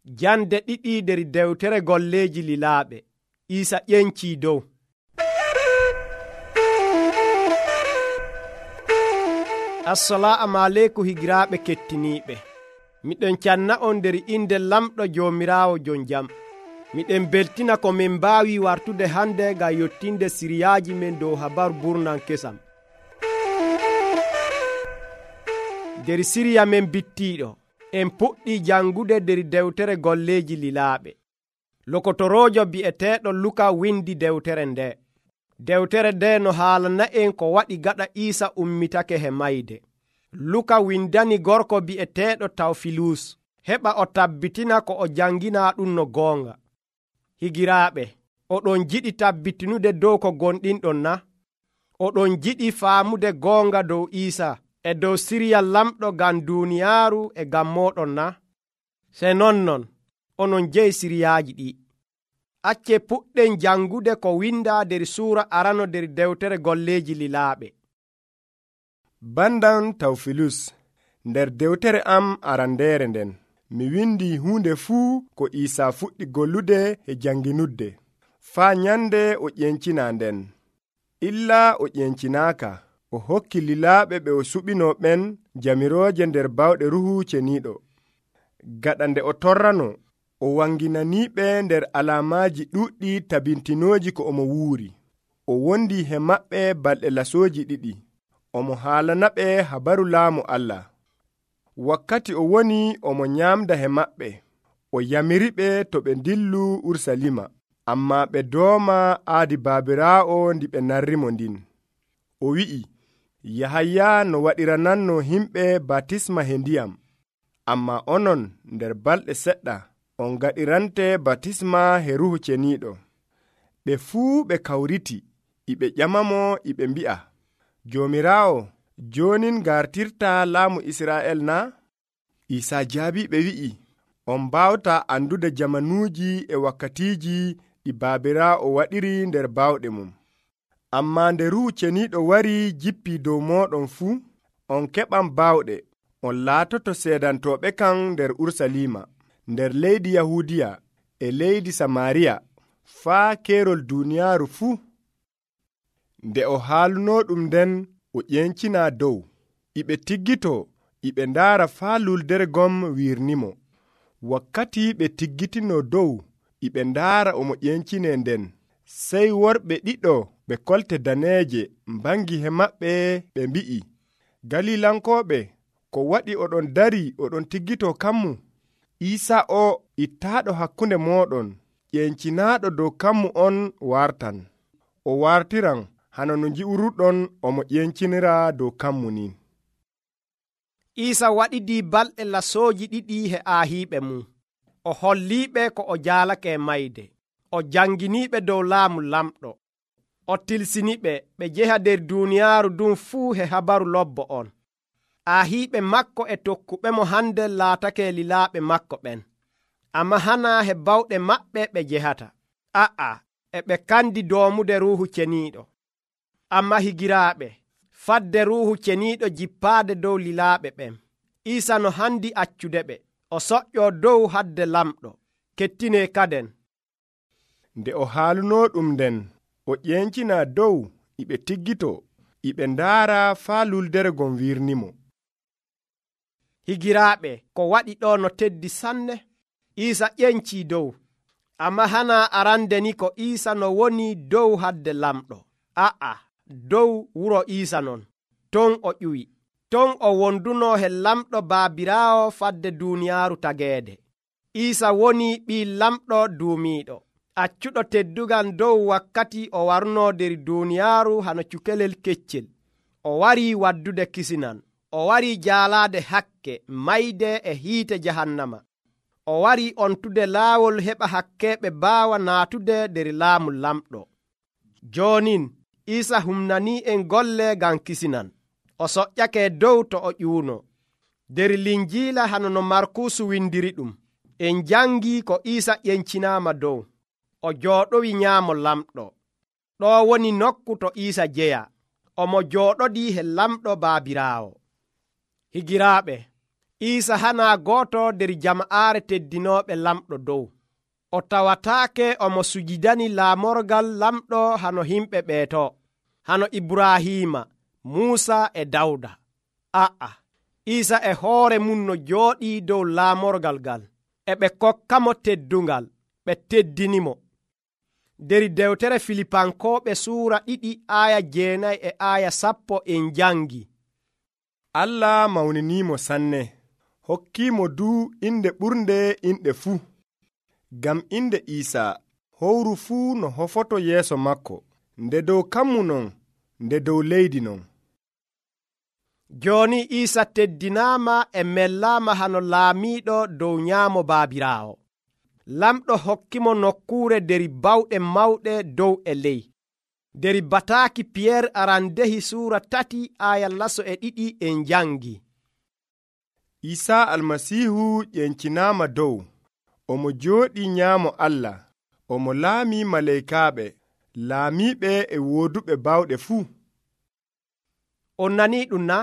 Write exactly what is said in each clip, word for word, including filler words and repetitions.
Jande ɗiɗi nder dewtere golleeji lilaaɓe. Iisa ƴencii dow. Assalaamu aleykum higiraaɓe kettiniiɓe. Miɗen canna on nder inde lamɗo Joomiraawo jon jam. Miɗen beltina ko min mbaawi wartude hande ngam yottinde siriyaaji men dow habaru burnan kesam. Nder siriya men bittiiɗo en puɗɗii jangude nder dewtere golleeji lilaaɓe. Lokotoroojo bi'eteeɗo Luka windi dewtere nde. Dewtere nde no haalana en ko waɗi gaɗa Iisa ummitake he mayde. Luka windani gorko bi'eteeɗo Tawfilus heɓa o tabbitina ko o janginaa ɗum no goonga. Higiraaɓe, oɗon jiɗi tabbitinude dow ko gonɗinɗon na? Oɗon jiɗi faamude goonga dow Iisa e dow siriya lamɗo ngam duuniyaaru e ngam mooɗon na? Se nonnon, onon jeyi siriyaaji ɗi. Acce puɗɗen jangude ko windaa nder suura arano nder dewtere golleeji lilaaɓe. Bandan Tawfilus, nder dewtere am arandeere nden, mi windi huunde fuu ko Iisa fuɗɗi gollude e janginudde, faa nyande o ƴencina nden. Illa o ƴencinaaka, o hokki lilaaɓe ɓe o suɓino ɓen jamirooje nder bawɗe Ruuhu Ceniiɗo. Gaɗa nde o torrano, o wanginaniiɓe nder alaamaaji ɗuuɗɗi tabintinooji ko omo wuuri. O wondi he maɓɓe balɗe lasooji ɗiɗi. Omo haalana ɓe habaru laamu Allah. Wakkati o woni omo nyaamda he maɓɓe, o yamiriɓe to ɓe ndillu Urusalima, ammaa ɓe dooma aadi Baabiraawo ndi ɓe narrimo ndin. O wi'i, Yahaya no waɗirananno himɓe batisma he ndiyam, ammaa onon nder balɗe seɗɗa on gaɗirante batisma he Ruuhu Ceniiɗo. Ɓe fuu ɓe kawriti, iɓe ƴamamo iɓe mbi'a, Joomiraawo, jonin gartirta laamu Israa'el na? Iisa jaabi ɓe wi'i, on mbawta andude jamanuuji e wakkatiiji ɗi Baabiraawo waɗiri nder bawɗe mum. Ammaa nde Ruuhu Ceniiɗo wari jippi dow mooɗon fuu, on keɓan bawɗe, on laatoto seedantooɓe kan nder Urusalima, nder leydi Yahuudiya e leydi Samaariya, faa keerol duuniyaaru fuu. Nde o haaluno ɗum nden, o ƴencina dow. Iɓe tiggito, iɓe ndaara faa luldere gom wirnimo. Wakkati ɓe tiggitino dow, iɓe ndaara omo ƴencine nden. Sey worɓe ɗiɗo ɓe kolte daneeje mbangi he maɓɓe ɓe mbi'i, Galilankooɓe, ko waɗi oɗon dari oɗon tiggito kammu? Iisa o ittaaɗo hakkunde mooɗon, ƴencinaaɗo dow kammu on wartan. O wartiran hana no nji'uruɗon omo ƴencinira dow kammu ni. Iisa waɗidii balɗe lasooji ɗiɗi he aahiiɓe mum. O holliiɓe ko o jaalake e mayde. O janginiiɓe dow laamu lamɗo. O tilsiniɓe ɓe jeha nder duuniyaaru ɗum fuu he habaru lobbo on. Aahiiɓe makko e tokkuɓemo hande laatake lilaaɓe makko ɓen. Amma hana he bawɗe maɓɓe ɓe jehata. A'a, e ɓe kandi doomude Ruuhu Ceniiɗo. Amma higiraaɓe, fadde Ruuhu Ceniiɗo jippaade dow lilaaɓe ɓen. Iisa no handi accude ɓe. O soƴƴoo dow hadde lamɗo. Kettinee kaden. Nde o haaluno ɗum nden, o ƴencina dow, iɓe tiggito, iɓe ndaara faa luldere gon wirnimo. Higiraaɓe, ko waɗi ɗo no teddi sanne. Iisa ƴencii dow. Amma hana arande ni ko Iisa no woni dow hadde lamɗo. A'a, dow wuro Iisa non. Ton o ƴuwi. Ton o wonduno he lamɗo Baabiraawo fadde duuniyaaru tageede. Iisa woni ɓii lamɗo duumiiɗo, accuɗo teddugal dow wakkati o warno nder duuniyaaru hano cukalel keccel. O warii waddude kisinan. O warii jaalaade hakke, mayde e hiite jahannama. O warii ontude laawol heɓa hakkeeɓe baawa naatude nder laamu lamɗo. Joonin, Iisa humnanii en golle ngam kisinan. O soƴƴake dow to o ƴuuno. Nder Linjiila hano no Markuusu windiri ɗum. En jangii ko Iisa ƴencinaama dow. O jooɗowi nyaamo lamɗo. Ɗo woni nokku to Iisa jeya. Omo jooɗodii he lamɗo Baabiraawo. Higiraaɓe, Iisa hana gooto nder jama'aare teddinooɓe lamɗo dow. O tawataake omo sujidani laamorgal lamɗo hano himɓe ɓeeto, hano Ibrahiima, Muusa e Dawda. A'a, Iisa e hoore mum no jooɗii dow laamorgal ngal, e ɓe kokkamo teddungal, ɓe teddinimo. Der dewtere Filipankooɓe suura ɗiɗi aaya jeenayi e aaya sappo en jangi. Allah mawniniimo sanne, hokkiimo duu inde ɓurnde inɗe fuu. Ngam inde Iisaa, howru fuu no hofoto yeeso makko, nde dow kammu non, nde dow leydi non. Jooni Iisa teddinaama e mellaama hano laamiiɗo dow nyaamo Baabiraawo. Lamɗo hokkimo nokkuure der bawɗe mawɗe dow e ley. Der bataaki Piyeer arandehi suura tati aaya laso e ɗiɗi en jangi. Iisaa Almasiihu ƴencinaama dow, omo jooɗii nyaamo Allah, omo laamii maleykaaɓe, laamiiɓe e wooduɓe bawɗe fuu. On nanii ɗum na?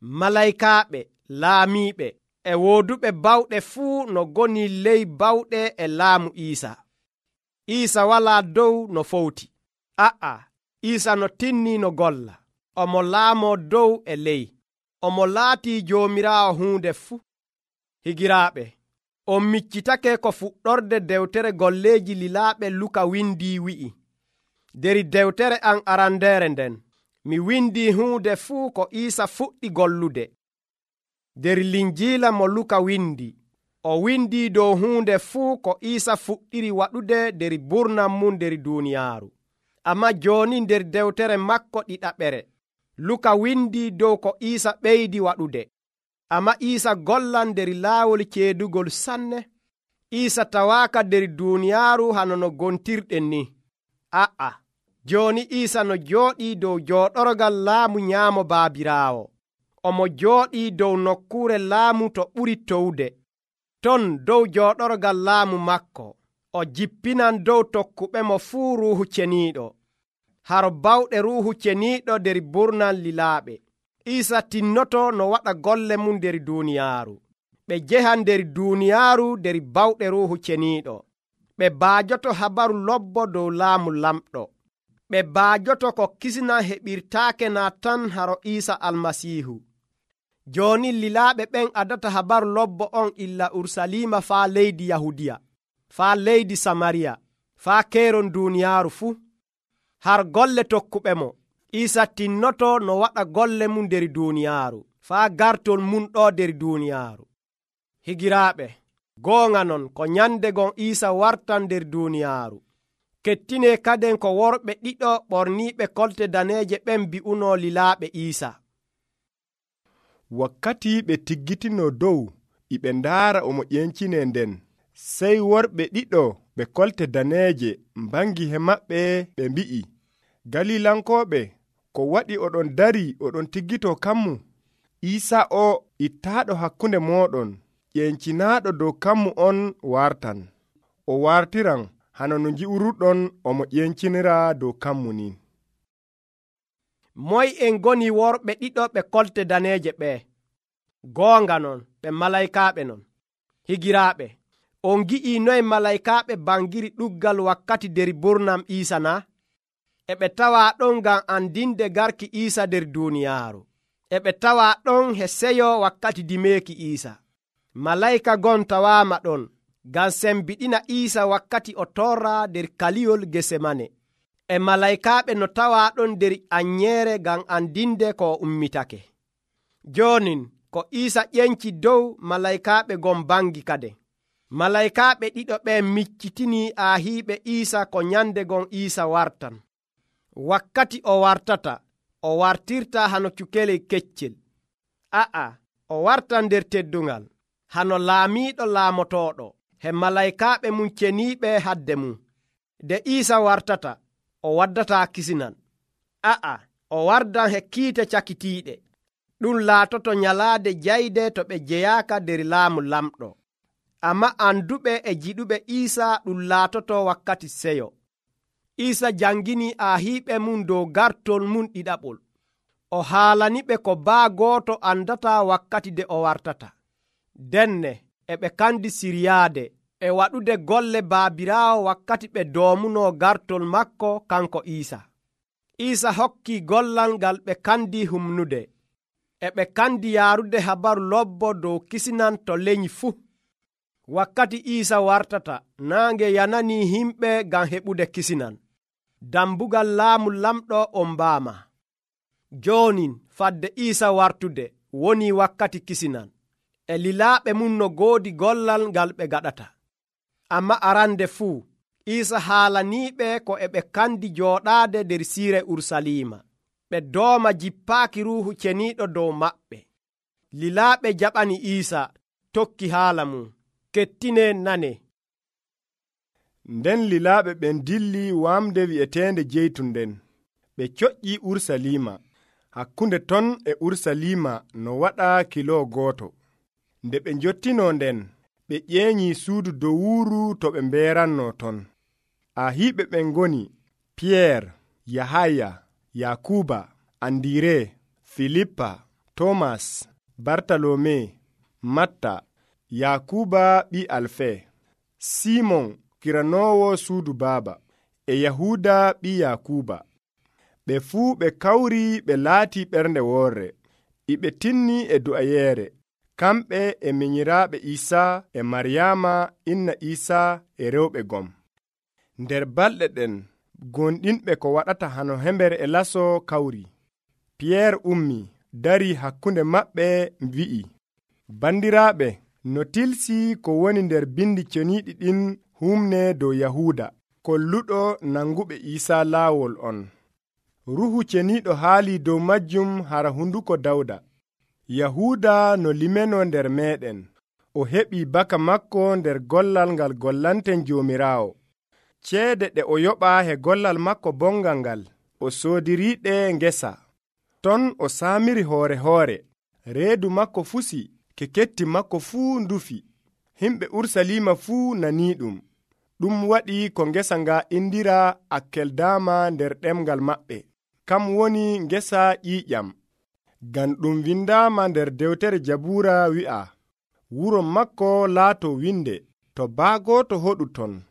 Malaykaaɓe, laamiiɓe e wooduɓe bawɗe fuu no goni ley bawɗe e laamu Iisa. Iisa walaa dow no fowti. A'a, Iisa no tinnii no golla. Omo laamoo dow e ley. Omo laatii Joomiraawo huunde fuu. Higiraaɓe, on miccitake ko fuɗɗorde dewtere golleeji lilaaɓe Luka windii wi'i. Der dewtere an arandeere nden, mi windii huunde fuu ko Iisa fuɗɗi gollude. Der linjiila mo Luka windi, o windii dow huunde fuu ko Iisa fuɗɗiri waɗude der burnam mum der duuniyaaru. Amma jooni nder dewtere makko ɗiɗaɓere, Luka windii dow ko Iisa ɓeydi waɗude. Amma Iisa gollan nder laawol ceedugol sanne. Iisa tawaaka der duuniyaaru hano no gontirɗen ni. A'a, jooni Iisa no jooɗii dow jooɗorgal laamu nyaamo Baabiraawo. Omo jooɗii dow nokkuure laamu to ɓuri towde. Ton dow jooɗorgal laamu makko, o jippinan dow tokkuɓemo fuu Ruuhu Ceniiɗo. Haro bawɗe Ruuhu Ceniiɗo der burnal lilaaɓe. Iisa tinnoto no waɗa golle mum der duuniyaaru. Ɓe njehan der duuniyaaru der bawɗe Ruuhu Ceniiɗo. Ɓe baajoto habaru lobbo dow laamu lamɗo. Ɓe baajoto ko kisna heɓirtaake naa tan haro Iisa Almasiihu. Jooni lilaaɓe ɓen adata habaru lobbo on illa Ursaliima faa leydi Yahudiya, faa leydi Samariya, faa keeron duuniyaaru fuu. Har golle tokkuɓe mo, Iisa tinnoto no waɗa golle mum der duuniyaaru, faa gartol mum ɗo der duuniyaaru. Higiraaɓe, goonga non ko nyande gon Iisa wartan der duuniyaaru. Kettine kaden ko worɓe ɗiɗo ɓorniiɓe kolte daneeje ɓen bi'uno lilaaɓe Iisa. Wakkati ɓe tiggitino dow iɓe ndaara omo ƴencine nden, sey worɓe ɗiɗo ɓe kolte daneeje mbangi he maɓɓe ɓe mbi'i, Galilankooɓe, ko waɗi oɗon dari oɗon tiggito kammu? Iisa o ittaaɗo hakkunde mooɗon, ƴencinaaɗo dow kammu on wartan. O wartiran hano no nji'uruɗon omo ƴencinira dow kammu ni. Moy en goni worɓe ɗiɗo ɓe kolte daneeje ɓe? Goonga non, ɓe malaykaaɓe non. Higiraaɓe, on gi'ii noye malaykaaɓe bangiri ɗuggal wakkati der burnam Iisa na? E ɓe tawaa ɗon ngam andinde garki Iisa der duuniyaaru. E ɓe tawaa ɗon he seyo wakkati dimeeki Iisa. Malayka gon tawaama ɗon ngam sembiɗina Iisa wakkati o torra der kaliyol Gesemane. E malaykaaɓe no tawaa ɗon der anyeere ngam andinde ko ummitake. Joonin ko Iisa ƴenci dow malaykaaɓe gon bangi kade. Malaykaaɓe ɗiɗo ɓen miccitini aahiiɓe Iisa ko nyande gon Iisa wartan. Wakkati o wartata, o wartirta hano cukelel keccel. A'a, o wartan der teddungal, hano laamiiɗo laamotooɗo, he malaykaaɓe mum ceniiɓe hadde mum. De Iisa wartata, o waddataa kisinan. A'a, o wardan he kiite cakitiiɗe. Ɗum laatoto nyalaade jayde to ɓe jeyaaka der laamu lamɗo. Amma anduɓe e jiɗuɓe Iisa ɗum laatoto wakkati seyo. Iisa jangini aahiiɓe mum dow gartol mum ɗiɗaɓol. O haalaniɓe ko baa gooto andata wakkati de o wartata. denne e ɓe kandi siryaade e waɗude golle baabiraawo wakkati ɓe doomuno gartol makko kanko Iisa. Iisa hokki gollal ngal ɓe kandi humnude, e ɓe kandi yaarude habaru lobbo dow kisinan to lenyi fuu. Wakkati Iisa wartata, naange yanani himɓe ngam heɓude kisinan. Dambugal laamu lamɗo on mbaama. Joonin fadde Iisa wartude woni wakkati kisinan, e lilaaɓe mum no goodi gollal ngal ɓe gaɗata. Amma arande fuu Iisa haalaniiɓe ko e ɓe kandi jooɗaade nder siire Urusalima, ɓe dooma jippaaki Ruuhu Ceniiɗo dow maɓɓe. Lilaaɓe jaɓani Iisa tokki haala mum. Kettine nane. Nden lilaaɓe ɓen dilli wamde wi'eteende jeytun nden, ɓe coƴƴi Urusalima. Hakkunde ton e Urusalima no waɗa kilo gooto. Nde ɓe njottino nden, ɓe ƴeeñi suudu dowuuru to ɓe mbeeranno ton. Ahiiɓe ɓen ngoni Piyeer, Yahaya, Yakuba, Andire, Filippa, Tomas, Bartalome, Matta, Yakuba ɓi Alfe, Simon kiranoowo suudu baaba, e Yahuda ɓi Yakuba. Ɓe fuu ɓe kawri ɓe laati ɓernde woorre, iɓe tinni e du'ayeere, kamɓe e minyiraaɓe Iisaa e Maryaama inna Iisaa e rewɓe gom. Nder balɗe ɗen gonɗinɓe ko waɗata hano hember e laso kawri. Piyeer ummi dari hakkunde maɓɓe wi'i, bandiraaɓe, no tilsi ko woni nder bindi ceniiɗi ɗin humne dow Yahuda kolluɗo nanguɓe Iisaa laawol on. Ruuhu Ceniiɗo haali dow majjum hara hunduko Dawda. Yahuda no limeno nder meeɗen, o heɓi baka makko nder gollal ngal gollanten Joomiraawo. Ceede ɗe o yoɓa he gollal makko bongal ngal, o soodiriiɗe ngesa. Ton o saamiri hoore hoore, reedu makko fusi, ke ketti makko fuu ndufi. Himɓe Urusalima fuu nanii ɗum. Ɗum waɗi ko ngesa nga indira Akkeldama nder ɗemgal maɓɓe, kam woni ngesa ƴiiƴam. Ngam ɗum windaama nder dewtere Jabuura wi'a, wuro makko laato winde, to baagoto hoɗu ton.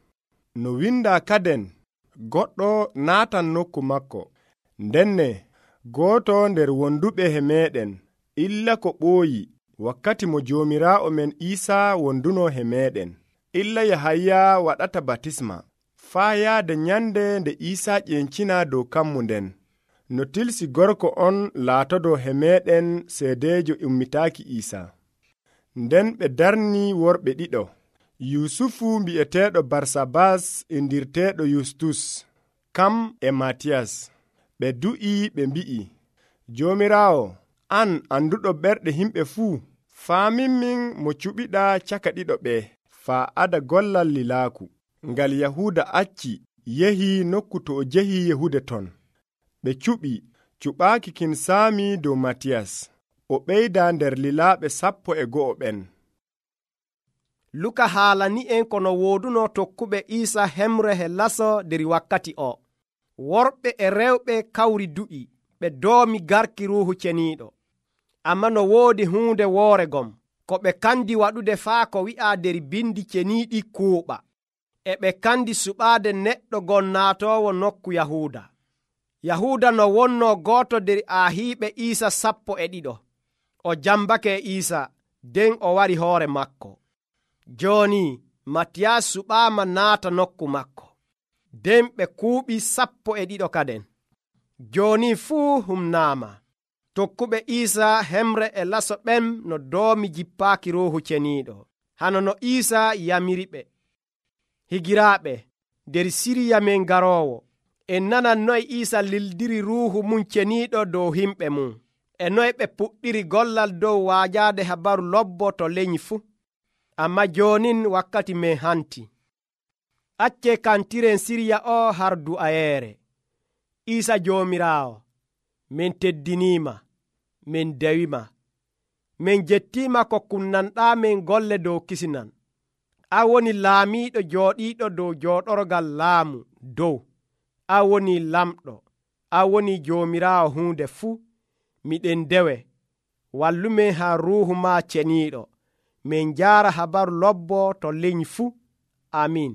No winda kaden, goɗɗo naatan nokku makko. Ndenne gooto nder wonduɓe he meeɗen, illa ko ɓooyi, wakkati mo Joomiraawo men Iisaa wonduno he meeɗen, illa Yahaya waɗata batisma, faa yaade nyande nde Iisaa ƴencina dow kammu nden. No tilsi gorko on laatodo he meeɗen seedeejo ummitaaki Iisaa. Nden ɓe darni worɓe ɗiɗo, Yusufu mbi'eteeɗo Barsabas indirteeɗo Yustus, kam e Matiyas. Ɓe du'i ɓe mbi'i, Joomiraawo, an anduɗo ɓerɗe himɓe fuu, faaminmin mo cuɓiɗa caka ɗiɗo ɓe, faa ada gollal lilaaku. Ngal Yahuda acci yehi nokku to o jehi yehude ton. Ɓe cuɓi cuɓaaki kin saami dow Matiyas. O ɓeyda nder lilaaɓe sappo e go'o ɓen. Luka haalani en kono wooduno tokkuɓe Iisa hemre he laso nder wakkati o. Worɓe e rewɓe kawri du'i, ɓe doomi garki Ruuhu Ceniiɗo. Amma no woodi huunde woore gom, ko ɓe kandi waɗude faa ko wi'a nder bindi ceniiɗi kuuɓa. E ɓe kandi suɓaade neɗɗo gon naatoowo nokku Yahuda. Yahuda no wonno gooto nder ahiiɓe Iisa sappo e ɗiɗo. O jambake e Iisa, nden o wari hoore makko. Jooni Matiyas suɓaama naata nokku makko, nden ɓe kuuɓi sappo e ɗiɗo kaden. Jooni fuu humnaama. Tokkuɓe Iisa hemre e laso ɓen no doomi jippaaki Ruuhu Ceniiɗo, hano no Iisa yamiri ɓe. Higiraaɓe, nder siriya men garoowo, en nanan noye Iisa lildiri Ruuhu mum Ceniiɗo dow himɓe mum, e noye ɓe puɗɗiri gollal dow waajaade habaru lobbo to lenyi fuu. Amma joonin wakkati men hanti. Acce kantiren siriya o har du'ayeere. Iisa Joomiraawo, min teddiniima, min dewima, min jettiima ko kunnanɗaa min golle dow kisinan. A woni laamiiɗo jooɗiiɗo dow jooɗorgal laamu dow. A woni lamɗo, a woni Joomiraawo huunde fuu. Miɗen dewe, wallumen haa Ruuhu ma Ceniiɗo, min jara habaru lobbo to liny fuu. Amin.